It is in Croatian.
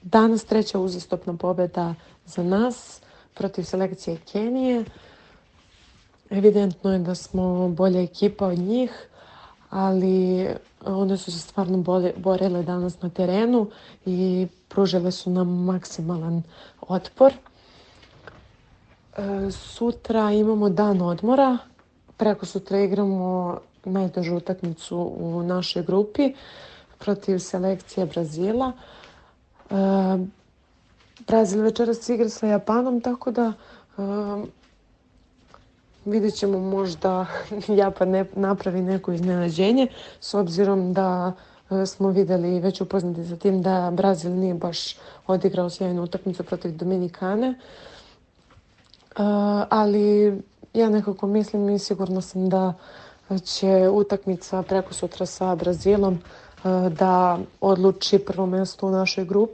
Danas treća uzastopna pobjeda za nas protiv selekcije Kenije. Evidentno je da smo bolja ekipa od njih, ali one su se stvarno borile danas na terenu i pružile su nam maksimalan otpor. Sutra imamo dan odmora. Preko sutra igramo najtežu utakmicu u našoj grupi protiv selekcije Brazila. Brazil večeras igra sa Japanom, tako da vidjet ćemo, možda Japan ne napravi neko iznenađenje, s obzirom da smo vidjeli i već upoznati sa tim da Brazil nije baš odigrao sjajnu utakmicu protiv Dominikane. Ali ja nekako mislim i sigurna sam da će utakmica prekosutra sa Brazilom da odluči prvo mjesto u našoj grupi.